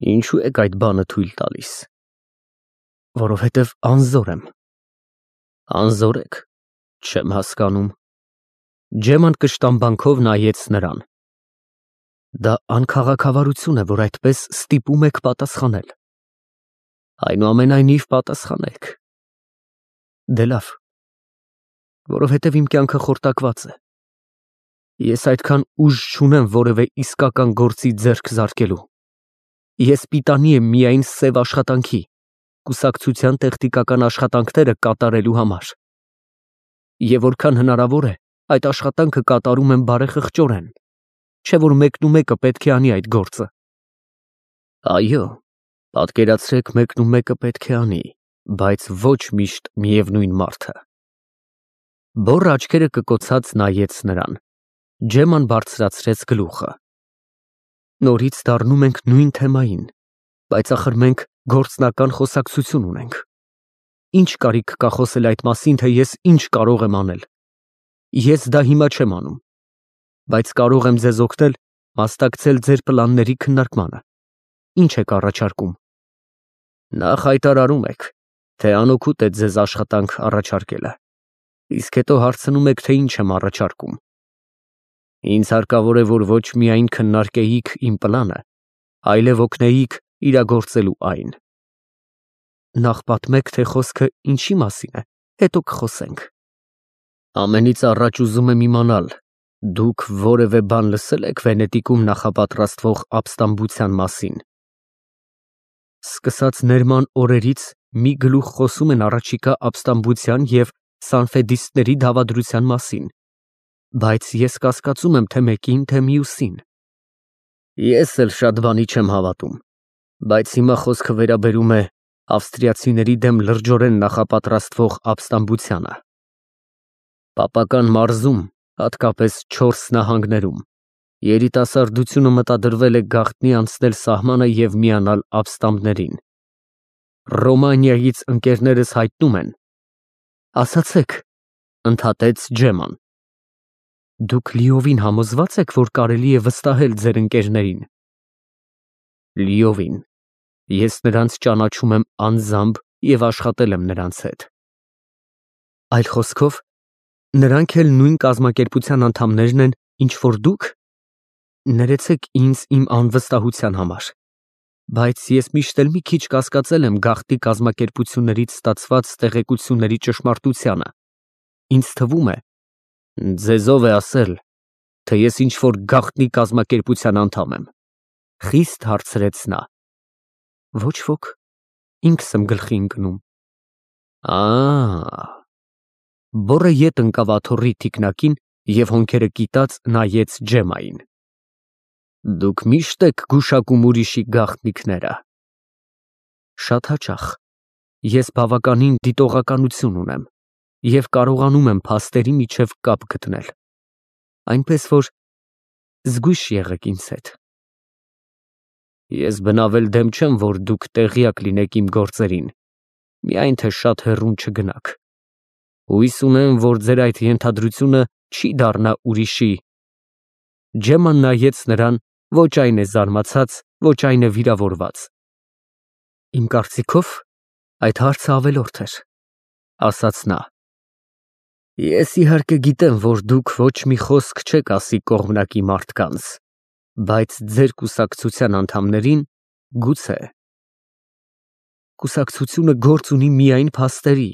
Ինչու եք այդ բանը թույլ տալիս։ Որովհետև անզոր եմ։ Անզոր եք, չեմ հասկանում։ Ջեման կշտամբանքով նայեց նրան։ Դա անքաղաքավարություն է, որ այդպես ստիպում եք պատասխանել։ Այնուամենայնիվ պատասխանեք։ Դե լավ, որովհետև իմ կյանքը խորտակված է։ Ես այդքան ուժ չունեմ որևէ իսկական գործի ձեռք զարկելու։ Ես պիտանի եմ միայն սև աշխատանքի, կուսակցության տեխնիկական աշխատանքները կատարելու համար։ Եվ որքան հնարավոր է, այդ աշխատանքը կատարում եմ բարեխղճորեն, չէ որ մեկնումեկը պետք է անի այդ գործը։ Այո, պատկերացրեք մեկնումեկը պետք է անի, բայց ոչ միշտ միևնույն մարդը։ Բոռ աչքերը կկոցած նայեց նրան։ Ջեման բարձրացրեց գլուխը։ Նորից դառնում ենք նույն թեմային, բայց ախր մենք գործնական խոսակցություն ունենք։ Ինչ կարիք կա խոսել այդ մասին, թե ես ինչ կարող եմ անել։ Ես դա հիմա չեմ անում, բայց կարող եմ ձեզ օգնել մասնակցել ձեր պլանների քննարկմանը։ Ինչ եք առաջարկում։ Նախ հայտարարում եք, թե անօգուտ է ձեզ աշխատանք առաջարկելը, իսկ հետո հարցնում եք, թե ինչ եմ առաջարկում։ Ինձ հարկավոր է, որ ոչ միայն քննարկեիք իմ պլանը, այլև օգնեիք իրագործելու այն։ Նախ պատմեք, թե խոսքը ինչի մասին է, հետո կխոսենք։ Ամենից առաջ ուզում եմ իմանալ, դուք որևէ բան լսել եք Վենետիկում նախապատրաստվող ապստամբության մասին։ Սկսած Ներման օրերից մի գլուխ խոսում են առաջիկա ապստամբության և սանֆեդիստների դավադրության մասին, բայց ես կասկածում եմ թե մեկին, թե մյուսին։ Ես էլ շատ բանի չեմ հավատում, բայց հիմա խոսքը վերաբերում է ավստրիացիների դեմ լրջորեն նախապատրաստվող ապստամբությանը։ Պապական մարզում, հատկապես 4 նահանգներում, երիտասարդությունը մտադրվել է գաղտնի անցնել սահմանը և միանալ ապստամբներին։ Ռոմանիայից ընկերներս հայտնում են։ Ասացեք, ընդհատեց Ջեման։ Դուք լիովին համոզված եք, որ կարելի է վստահել ձեր ընկերներին։ Լիովին։ Ես նրանց ճանաչում եմ անձամբ և աշխատել եմ նրանց հետ։ Այլ խոսքով, նրանք էլ նույն կազմակերպության անդամներն են, ինչ որ դուք։ Ներեցեք ինձ իմ անվստահության համար, բայց ես միշտ էլ մի քիչ կասկածել եմ գաղտնի կազմակերպություններից ստացված տեղեկությունների ճշմարտությանը։ Ինձ թվում է, ձեզ ով է ասել, թե ես ինչ որ գաղտնի կազմակերպության անդամ եմ, խիստ հարցրեց նա։ Ոչ ոք, ինքս եմ գլխի ընկնում։ Բոռը ետ ընկավ աթոռի թիկնակին և հոնքերը կիտած նայեց Ջեմային։ Դուք միշտ եք գուշակում ուրիշի գաղտնիքները։ Շատ հաճախ։ Ես բավականին դիտողականություն ունեմ և կարողանում եմ փաստերի միջև կապ գտնել, այնպես որ զգույշ եղեք ինձ հետ։ Ես բնավել դեմ չեմ, որ դուք տեղյակ լինեք իմ գործերին, միայն թե շատ հեռուն չգնաք։ Հույս ունեմ, որ ձեր այդ ենթադրությունը չի դառնա ուրիշի։ Ջեման նայեց նրան, ոչ այն է զարմացած, ոչ այն է վիրավորված։ Իմ կարծիքով այդ հարցը ավելորդ էր, ասաց նա։ Ես իհարկե գիտեմ, որ դուք ոչ մի խոսք չեք ասի կողմնակի մարդկանց, բայց ձեր կուսակցության անդամներին գուցե։ Կուսակցությունը գործ ունի միայն փաստերի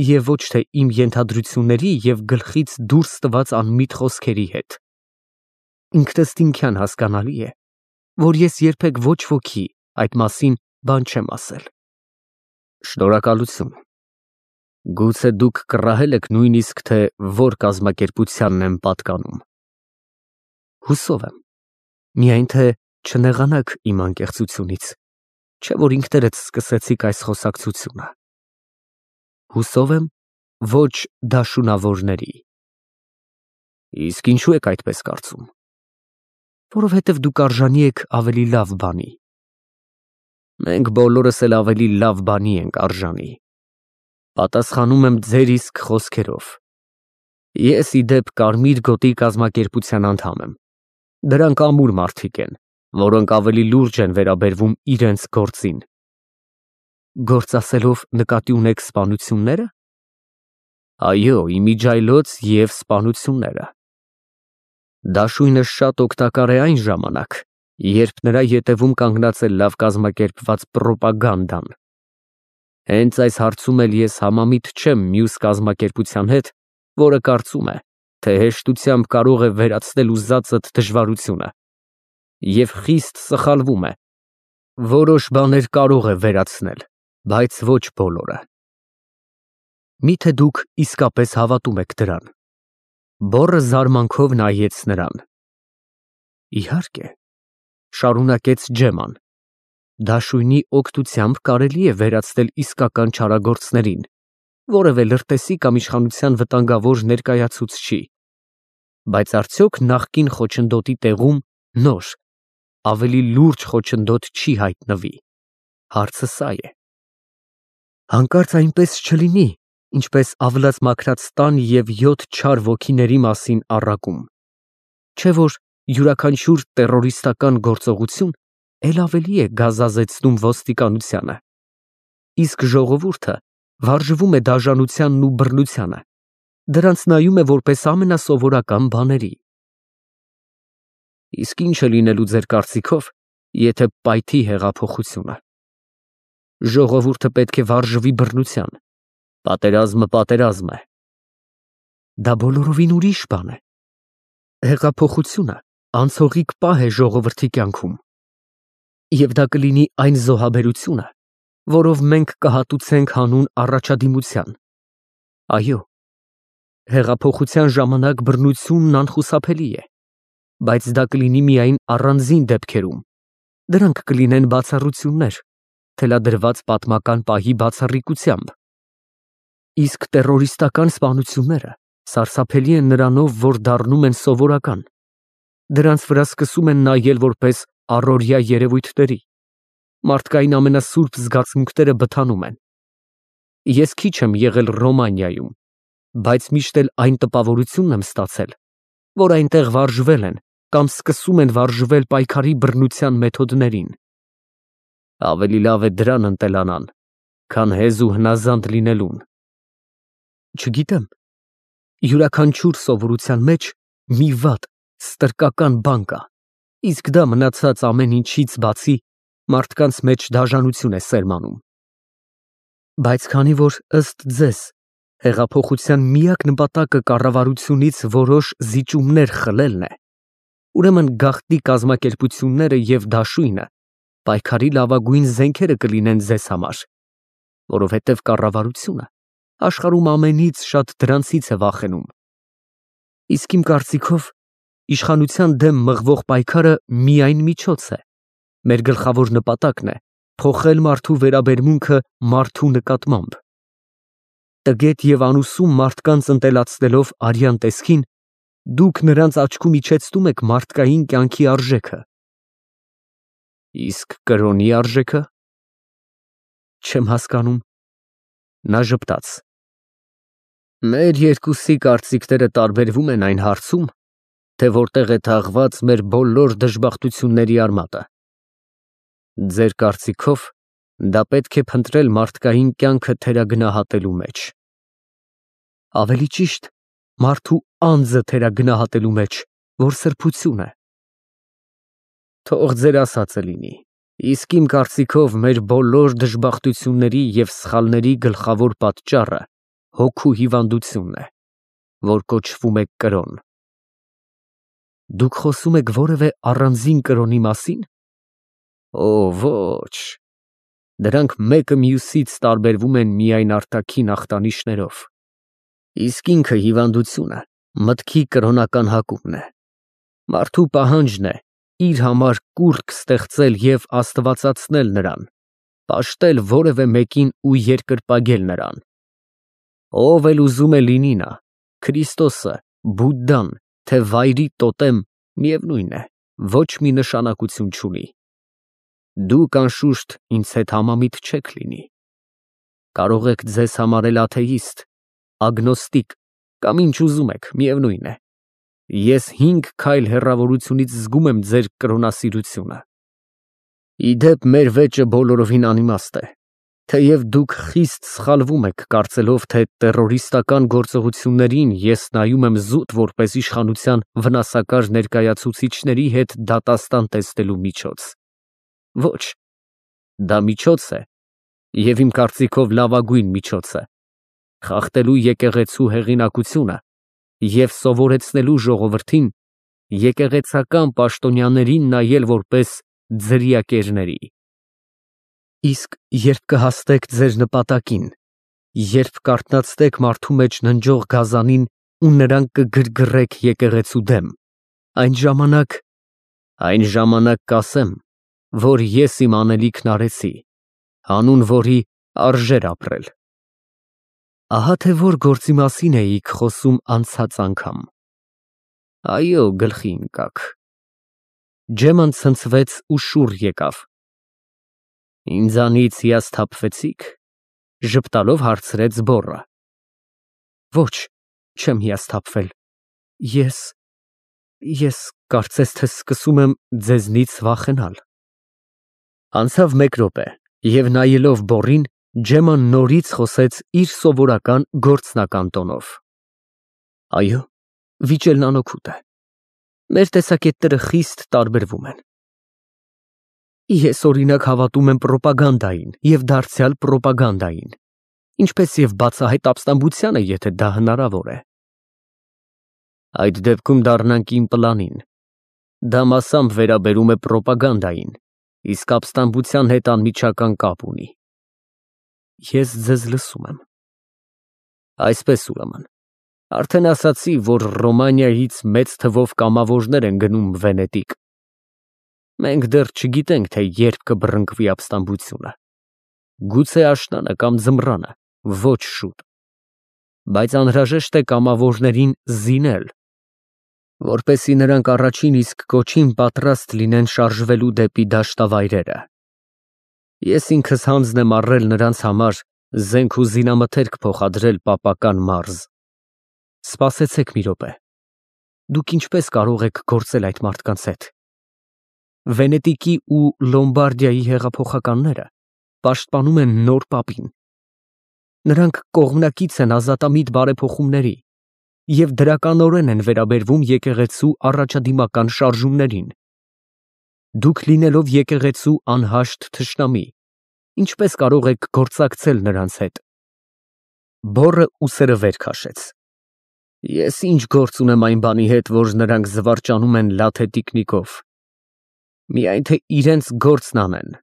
և ոչ թե իմ ենթադրությունների և գլխից դուրս տված անմիտ խոսքերի հետ։ Ինքնըստինքյան հասկանալի է, որ ես երբեք ոչ ոքի այդ մասին բան չեմ ասել։ Շնորհակալություն։ Գուցե դուք կռահել եք նույնիսկ, թե որ կազմակերպությանն եմ պատկանում։ Հուսով եմ, միայն թե չնեղանաք իմ անկեղծությունից, չէ որ ինքներդ սկսեցիք այս խոսակցությունը։ Հուսով եմ, ոչ դաշունավորների։ Իսկ ինչու եք այդպես կարծում։ Որովհետև դուք արժանի եք ավելի լավ բանի։ Մենք բոլորս էլ ավելի լավ բանի ենք արժանի։ Պատասխանում եմ ձեր իսկ խոսքերով։ Ես ի դեպ Կարմիր գոտի կազմակերպության անդամ եմ։ Դրանք ամուր մարդիկ են, որոնք ավելի լուրջ են վերաբերվում իրենց գործին։ Գործ ասելով նկատի ունեք սպանությունները։ Այո, իմիջայլոց և սպանությունները։ Դաշույնը շատ օգտակար է այն ժամանակ, երբ նրա ետևում կանգնած է լավ կազմակերպված պրոպագանդան։ Հենց այս հարցում էլ ես համամիտ չեմ մյուս կազմակերպության հետ, որը կարծում է, թե հեշտությամբ կարող է վերացնել ուզածդ դժվարությունը, և խիստ սխալվում է։ Որոշ բաներ կարող է վերացնել, բայց ոչ բոլորը։ Միթե դուք իսկապես հավատում եք դրան։ Բոռը զարմանքով նայեց նրան։ Իհարկե, շարունակեց Ջեման, դաշույնի օգնությամբ կարելի է վերացնել իսկական չարագործներին, որևէ լրտեսի կամ իշխանության վտանգավոր ներկայացուցչի, բայց արդյոք նախկին խոչընդոտի տեղում նոր, ավելի լուրջ խոչընդոտ չի հայտնվի։ Հարցը սա է։ Հանկարծ այնպես չլինի, ինչպես ավլած մաքրած տան և 7 չար ոգիների մասին առակում, չէ որ յուրաքանչյուր տերորիստական գործողություն էլ ավելի է գազազեցնում ոստիկանությանը, իսկ ժողովուրդը վարժվում է դաժանությանն ու բռնությանը, դրանց նայում է որպես ամենասովորական բաների։ Իսկ ինչ է լինելու ձեր կարծիքով, եթե պայթի հեղափոխությունը։ Ժողովուրդը պետք է վարժվի բռնության, պատերազմը պատերազմ է։ Դա բոլորովին ուրիշ բան է։ Հեղափոխությունը անցողիկ պահ է ժողովրդի կյանքում, և դա կլինի այն զոհաբերությունը, որով մենք կհատուցենք հանուն առաջադիմության։ Այո, հեղափոխության ժամանակ բռնությունն անխուսափելի է, բայց դա կլինի միայն առանձին դեպքերում, դրանք կլինեն բացառություններ, թելադրված պատմական պահի բացառիկությամբ։ Իսկ տերորիստական սպանությունները սարսափելի են նրանով, որ դառնում են սովորական, դրանց վրա սկսում են նայել որպես առօրյա երևույթների, մարդկային ամենասուրբ զգացմունքները բթանում են։ Ես քիչ եմ եղել Ռոմանիայում, բայց միշտ էլ այն տպավորությունն եմ ստացել, որ այնտեղ վարժվել են կամ սկսում են վարժվել պայքարի բռնության մեթոդներին։ Ավելի լավ է դրան ընտելանան, քան հեզ ու հնազանդ լինելուն։ Չգիտեմ, յուրաքանչյուր սովորության մեջ մի վատ, ստրկական բան կա, իսկ դա մնացած ամեն ինչից բացի մարդկանց մեջ դաժանություն է սերմանում։ Բայց քանի որ ըստ ձեզ հեղափոխության միակ նպատակը կառավարությունից որոշ զիջումներ խլելն է, ուրեմն գաղտնի կազմակերպությունները և դաշույնը պայքարի լավագույն զենքերը կլինեն ձեզ համար, որովհետև կառավարությունը աշխարհում ամենից շատ դրանցից է վախենում։ Իսկ իմ կարծիքով իշխանության դեմ մղվող պայքարը միայն միջոց է, մեր գլխավոր նպատակն է փոխել մարդու վերաբերմունքը մարդու նկատմամբ։ Տգետ և անուսում մարդկանց ընտելացնելով արյան տեսքին, դուք նրանց աչքում իջեցնում եք մարդկային կյանքի արժեքը։ Իսկ կրոնի արժեքը։ Չեմ հասկանում։ Նա ժպտաց։ Մեր երկուսի կարծիքները տարբերվում են այն հարցում, թե որտեղ է թաղված մեր բոլոր դժբախտությունների արմատը։ Ձեր կարծիքով դա պետք է փնտրել մարդկային կյանքը թերագնահատելու մեջ։ Ավելի ճիշտ, մարդու անձը թերագնահատելու մեջ, որ սրբություն է։ Թող ձեր ասածը լինի, իսկ իմ կարծիքով մեր բոլոր դժբախտությունների և սխալների գլխավոր պատճառը հոգու հիվանդությունն է, որ կոչվում է կրոն։ Դուք խոսում եք որևէ առանձին կրոնի մասի՞ն։ Օ, ոչ, դրանք մեկը մյուսից տարբերվում են միայն արտաքին ախտանիշներով, իսկ ինքը հիվանդությունը մտքի կրոնական հակումն է։ Մարդու պահանջն է իր համար կուռք ստեղծել և աստվածացնել նրան, պաշտել որևէ մեկին ու երկրպագել նրան։ Ով էլ ուզում է լինի նա, Քրիստոսը, Բուդդան, թե վայրի տոտեմ, միևնույն է, ոչ մի նշանակություն չունի։ Դուք անշուշտ ինձ հետ համամիտ չեք լինի։ Կարող եք ձեզ համարել աթեիստ, ագնոստիկ կամ ինչ ուզում եք, միևնույն է։ Ես 5 քայլ հեռավորությունից զգում եմ ձեր կրոնասիրությունը։ Իդեպ մեր վեճը բոլորովին անիմաստ է, թեև դուք խիստ սխալվում եք, կարծելով, թե տերորիստական գործողություններին ես նայում եմ զուտ որպես իշխանության վնասակար ներկայացուցիչների հետ դատաստան տեսնելու միջոց։ Ոչ, դա միջոց է, և իմ կարծիքով լավագույն միջոցը, խախտելու եկեղեցու հեղինակությունը և սովորեցնելու ժողովրդին եկեղեցական պաշտոնյաներին նայել որպես ձրիակերների։ Իսկ երբ կհասնեք ձեր նպատակին, երբ կարթնացնեք մարդու մեջ ննջող գազանին ու նրան կգրգռեք եկեղեցու դեմ, այն ժամանակ կասեմ, որ ես իմ անելիքն արեցի, հանուն որի արժեր ապրել։ Ահա թե որ գործի մասին էիք խոսում անցած անգամ։ Այո, գլխի ընկաք։ Ջեման ցնցվեց ու շուռ եկավ։ Ինձանից հիասթափվեցի՞ք, ժպտալով հարցրեց բոռը։ Ոչ, չեմ հիասթափվել։ Ես կարծես թե սկսում եմ ձեզնից վախենալ։ Անցավ մեկ րոպե, և նայելով բոռին, Ջեման նորից խոսեց իր սովորական գործնական տոնով։ Այո, վիճելն անօգուտ է։ Մեր տեսակետները խիստ տարբերվում են։ Ես օրինակ հավատում եմ պրոպագանդային և դարձյալ պրոպագանդային, ինչպես և բացահայտ ապստամբությանը, եթե դա հնարավոր է։ Այդ դեպքում դառնանք իմ պլանին։ Դա մասամբ վերաբերում է պրոպագանդային, իսկ ապստամբության հետ անմիջական կապ ունի։ Ես ձեզ լսում եմ։ Այսպես ուրեմն, արդեն ասացի, որ Ռոմանիայից մեծ թվով կամավորներ են գնում Վենետիկ։ Մենք դեռ չգիտենք, թե երբ կբռնկվի ապստամբությունը։ Գուցե աշնանը կամ ձմռանը, ոչ շուտ։ Բայց անհրաժեշտ է կամավորներին զինել, որպեսզի նրանք առաջին իսկ կոչին պատրաստ լինեն շարժվելու դեպի դաշտավայրերը։ Ես ինքս հանձն եմ առել նրանց համար զենք ու զինամթերք փոխադրել պապական մարզ։ Սպասեցեք մի րոպե։ Դուք ինչպես կարող եք գործել այդ մարդկանց հետ։ Վենետիկի ու Լոմբարդիայի հեղափոխականները պաշտպանում են նոր պապին։ Նրանք կողմնակից են ազատամիտ բարեփոխումների և դրականորեն են վերաբերվում եկեղեցու առաջադիմական շարժումներին։ Դուք լինելով եկեղեցու անհաշտ թշնամի, ինչպես կարող եք գործակցել նրանց հետ։ Բոռը ուսերը վեր քաշեց։ Ես ինչ գործ ունեմ այն բանի հետ, որ նրանք զվարճանում են լաթե տիկնիկով։ Միայն թե իրենց գործն անեն։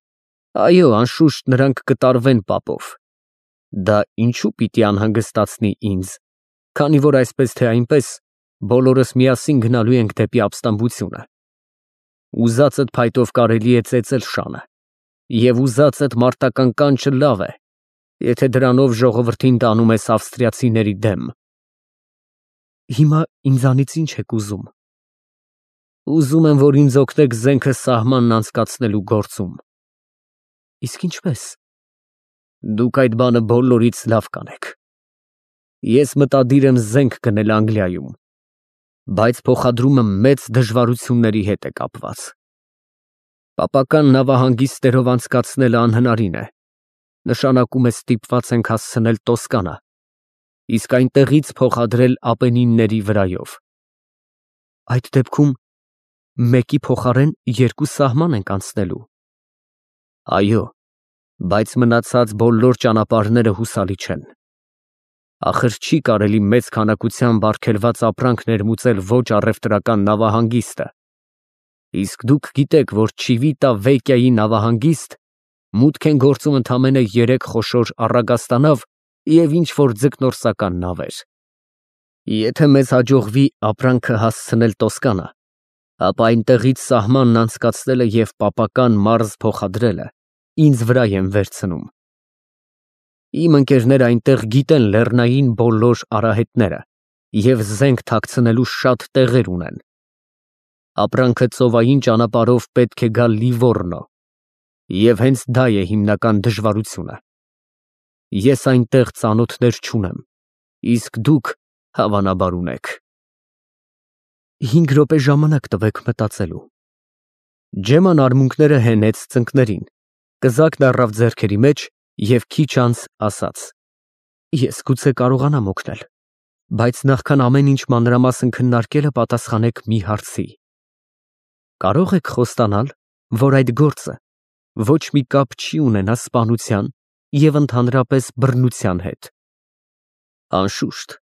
Այո, անշուշտ նրանք կտարվեն պապով։ Դա ինչու պիտի անհանգստացնի ինձ, քանի որ այսպես թե այնպես բոլորս միասին գնալու ենք դեպի ապստամբությունը։ Ուզածդ փայտով կարելի է ծեծել շանը, և ուզածդ մարտական կանչը լավ է, եթե դրանով ժողովրդին տանում ես ավստրիացիների դեմ։ Հիմա ինձանից ինչ եք ուզում։ Ուզում եմ, որ ինձ օգնեք զենքը սահմանն անցկացնելու գործում։ Իսկ ինչպես։ Դուք այդ բանը բոլորից լավ կանեք։ Ես մտադիր եմ զենք գնել Անգլիայում, բայց փոխադրումը մեծ դժվարությունների հետ է կապված։ Պապական նավահանգիստներով անցկացնելը անհնարին է։ Նշանակում է ստիպված ենք հասցնել Տոսկանա, իսկ այնտեղից փոխադրել Ապենինների վրայով։ Այդ դեպքում մեկի փոխարեն երկու սահման ենք անցնելու։ Այո, բայց մնացած բոլոր ճանապարհները հուսալի չեն։ Ախր չի կարելի մեծ քանակությամբ արգելված ապրանք ներմուծել ոչ առևտրական նավահանգիստը։ Իսկ դուք գիտեք, որ Չիվիտա Վեկիայի նավահանգիստ մուտք են գործում ընդամենը 3 խոշոր առագաստանավ և ինչ-որ ձկնորսական նավեր։ Եթե մեզ հաջողվի ապրանքը հասցնել Տոսկանա, ապա այնտեղից սահմանն անցկացնելը և պապական մարզ փոխադրելը ինձ վրա եմ վերցնում։ Իմ ընկերները այնտեղ գիտեն լեռնային բոլոր արահետները և զենք թաքցնելու շատ տեղեր ունեն։ Ապրանքը ծովային ճանապարհով պետք է գա Լիվոռնո, և հենց դա է հիմնական դժվարությունը։ Ես այնտեղ ծանոթներ չունեմ, իսկ դուք հավանաբար ունեք։ 5 րոպե ժամանակ տվեք մտածելու։ Ջեման արմունկները հենեց ծնկներին, կզակն առավ ձեռքերի մեջ և քիչ անց ասաց. Ես գուցե կարողանամ օգնել, բայց նախքան ամեն ինչ մանրամասն քննարկելը պատասխանեք մի հարցի. Կարող եք խոստանալ, որ այդ գործը ոչ մի կապ չի ունենա սպանության և ընդհանրապես բռնության հետ։ Անշուշտ,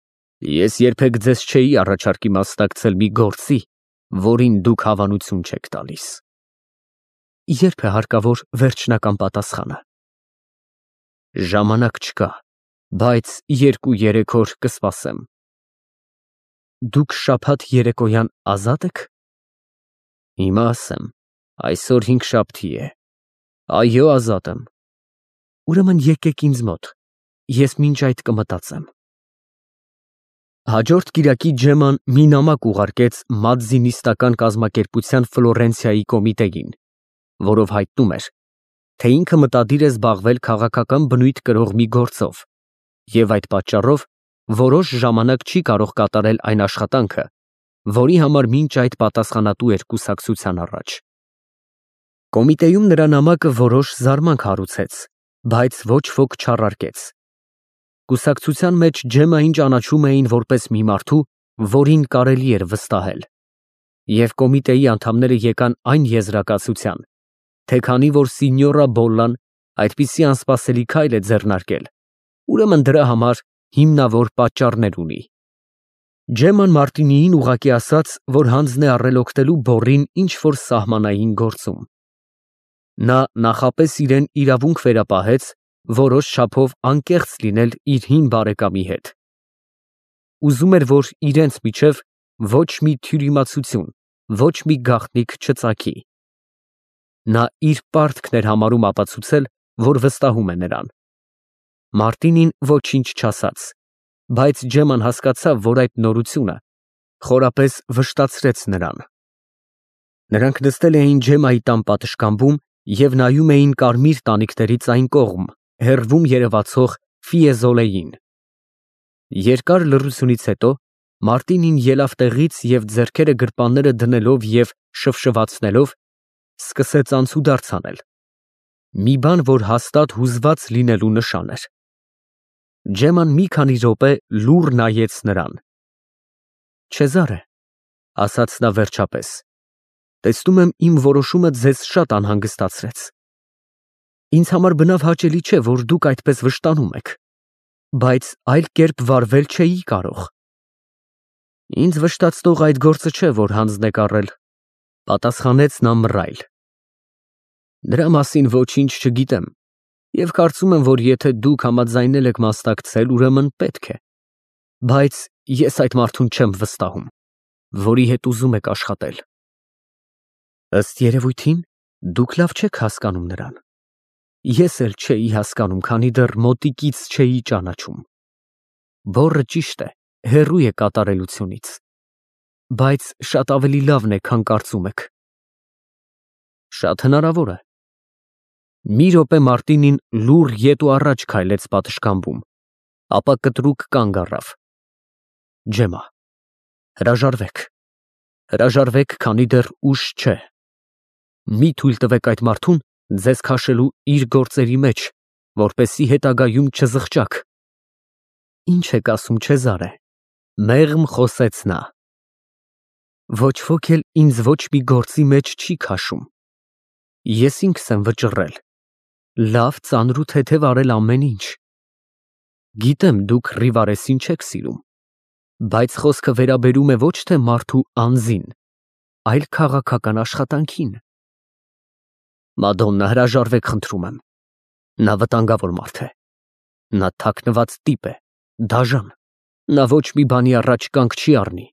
ես երբեք ձեզ չէի առաջարկի մասնակցել մի գործի, որին դուք հավանություն չեք տալիս։ Երբ է հարկավոր վերջնական պատասխանը։ Ժամանակ չկա, բայց 2-3 օր կսպասեմ։ Դուք շաբաթ երեկոյան ազատ եք։ Հիմա ասեմ, այսօր 5-շաբթի է։ Այո, ազատ եմ։ Ուրեմն եկեք ինձ մոտ, ես մինչ այդ կմտածեմ։ Հաջորդ կիրակի Ջեման մի նամակ ուղարկեց մադզինիստական կազմակերպության Ֆլորենցիայի կոմիտեին, որով հայտնում էր, թե ինքը մտադիր է զբաղվել քաղաքական բնույթ կրող մի գործով և այդ պատճառով որոշ ժամանակ չի կարող կատարել այն աշխատանքը, որի համար մինչ այդ պատասխանատու էր կուսակցության առաջ։ Կոմիտեում նրա նամակը որոշ զարմանք հարուցեց, բայց ոչ ոք չառարկեց։ Կուսակցության մեջ Ջեմային ճանաչում էին որպես մի մարդու, որին կարելի էր վստահել, և կոմիտեի անդամները եկան այն եզրակացության, թե քանի որ Սինյորա Բոլլան այդպիսի անսպասելի քայլ է ձեռնարկել, ուրեմն դրա համար հիմնավոր պատճառներ ունի։ Ջեման Մարտինիին ուղղակի ասաց, որ հանձն է առել օգնելու Բոռին ինչ-որ սահմանային գործում։ Նա նախապես իրեն իրավունք վերապահեց որոշ չափով անկեղծ լինել իր հին բարեկամի հետ։ Ուզում էր, որ իրենց միջև ոչ մի թյուրիմացություն, ոչ մի գաղտնիք չծագի։ Նա իր պարտքն էր համարում ապացուցել, որ վստահում է նրան։ Մարտինին ոչինչ չասաց, բայց Ջեման հասկացավ, որ այդ նորությունը խորապես վշտացրեց նրան։ Նրանք նստել էին Ջեմայի տան պատշգամբում և նայում էին կարմիր տանիքներից այն կողմ, հեռվում երևացող Ֆիեզոլեին։ Երկար լռությունից հետո Մարտինին ելավ տեղից և ձեռքերը գրպանները դնելով և շվշվացնելով սկսեց անցուդարձ անել։ Մի բան, որ հաստատ հուզված լինելու նշան էր։ Ջեման մի քանի րոպե լուռ նայեց նրան։ Չեզարե, ասաց նա վերջապես, տեսնում եմ իմ որոշումը ձեզ շատ անհանգստացրեց։ Ինձ համար բնավ հաճելի չէ, որ դուք այդպես վշտանում եք, բայց այլ կերպ վարվել չէի կարող։ Ինձ վշտացնող այդ գործը չէ, որ հանձն եք առել, պատասխանեց նա մռայլ։ Դրա մասին ոչինչ չգիտեմ և կարծում եմ, որ եթե դուք համաձայնել եք մասնակցել, ուրեմն պետք է, բայց ես այդ մարդուն չեմ վստահում, որի հետ ուզում եք աշխատել։ Ըստ երևույթին, դուք լավ չեք հասկանում նրան։ Ես էլ չէի հասկանում, քանի դեռ մոտիկից չէի ճանաչում։ Բոռը ճիշտ է, հեռու է կատարելությունից, բայց շատ ավելի լավն է, քան կարծում եք։ Շատ հնարավոր է։ Մի րոպե Մարտինին լուռ ետ ու առաջ քայլեց պատշգամբում, ապա կտրուկ կանգ առավ։ Ջեմա, հրաժարվեք։ Հրաժարվեք, քանի դեռ ուշ չէ։ Մի թույլ տվեք այդ մարդուն ձեզ քաշելու իր գործերի մեջ, որպեսզի հետագայում չզղջաք։ Ինչ եք ասում, Չեզարե, մեղմ խոսեց նա։ Ոչ ոք էլ ինձ ոչ մի գործի մեջ չի քաշում։ Ես ինքս եմ վճռել, լավ, ծանր ու թեթև արել ամեն ինչ։ Գիտեմ, դուք Ռիվարեսին չեք սիրում, բայց խոսքը վերաբերում է ոչ թե մարդու անձին, այլ քաղաքական աշխատանքին։ Մադոննա, հրաժարվեք, խնդրում եմ։ Նա վտանգավոր մարդ է։ Նա թաքնված տիպ է, դաժան։ Նա ոչ մի բանի առաջ կանգ չի առնի։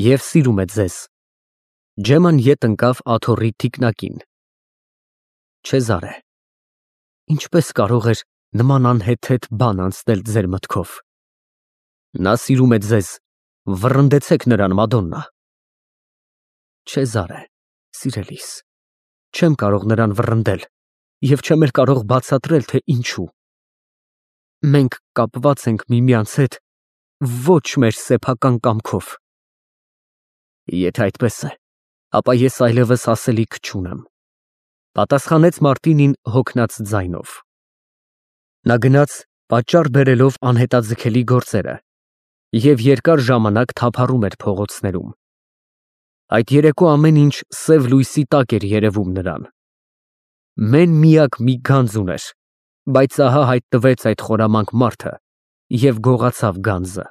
Եվ սիրում է ձեզ։ Ջեման ետ ընկավ աթոռի թիկնակին։ Չեզարե, ինչպես կարող էր նման անհեթեթ բան անցնել ձեր մտքով։ Նա սիրում է ձեզ, վռնդեցեք նրան, Մադոննա։ Չեզարե, սիրելիս, չեմ կարող նրան վռնդել և չեմ էլ կարող բացատրել, թե ինչու։ Մենք կապված ենք միմյանց հետ ոչ մեր սեփական կամքով։ Եթե այդպես է, ապա ես այլևս ասելիք չունեմ, պատասխանեց Մարտինին հոգնած ձայնով։ Նա գնաց, պատճառ բերելով անհետաձգելի գործերը, և երկար ժամանակ թափառում էր փողոցներում։ Այդ երեկո ամեն ինչ սև լույսի տակ էր երևում նրան։ Մեն֊միակ մի գանձ ուներ, բայց ահա հայտնվեց այդ խորամանկ մարդը և գողացավ գանձը։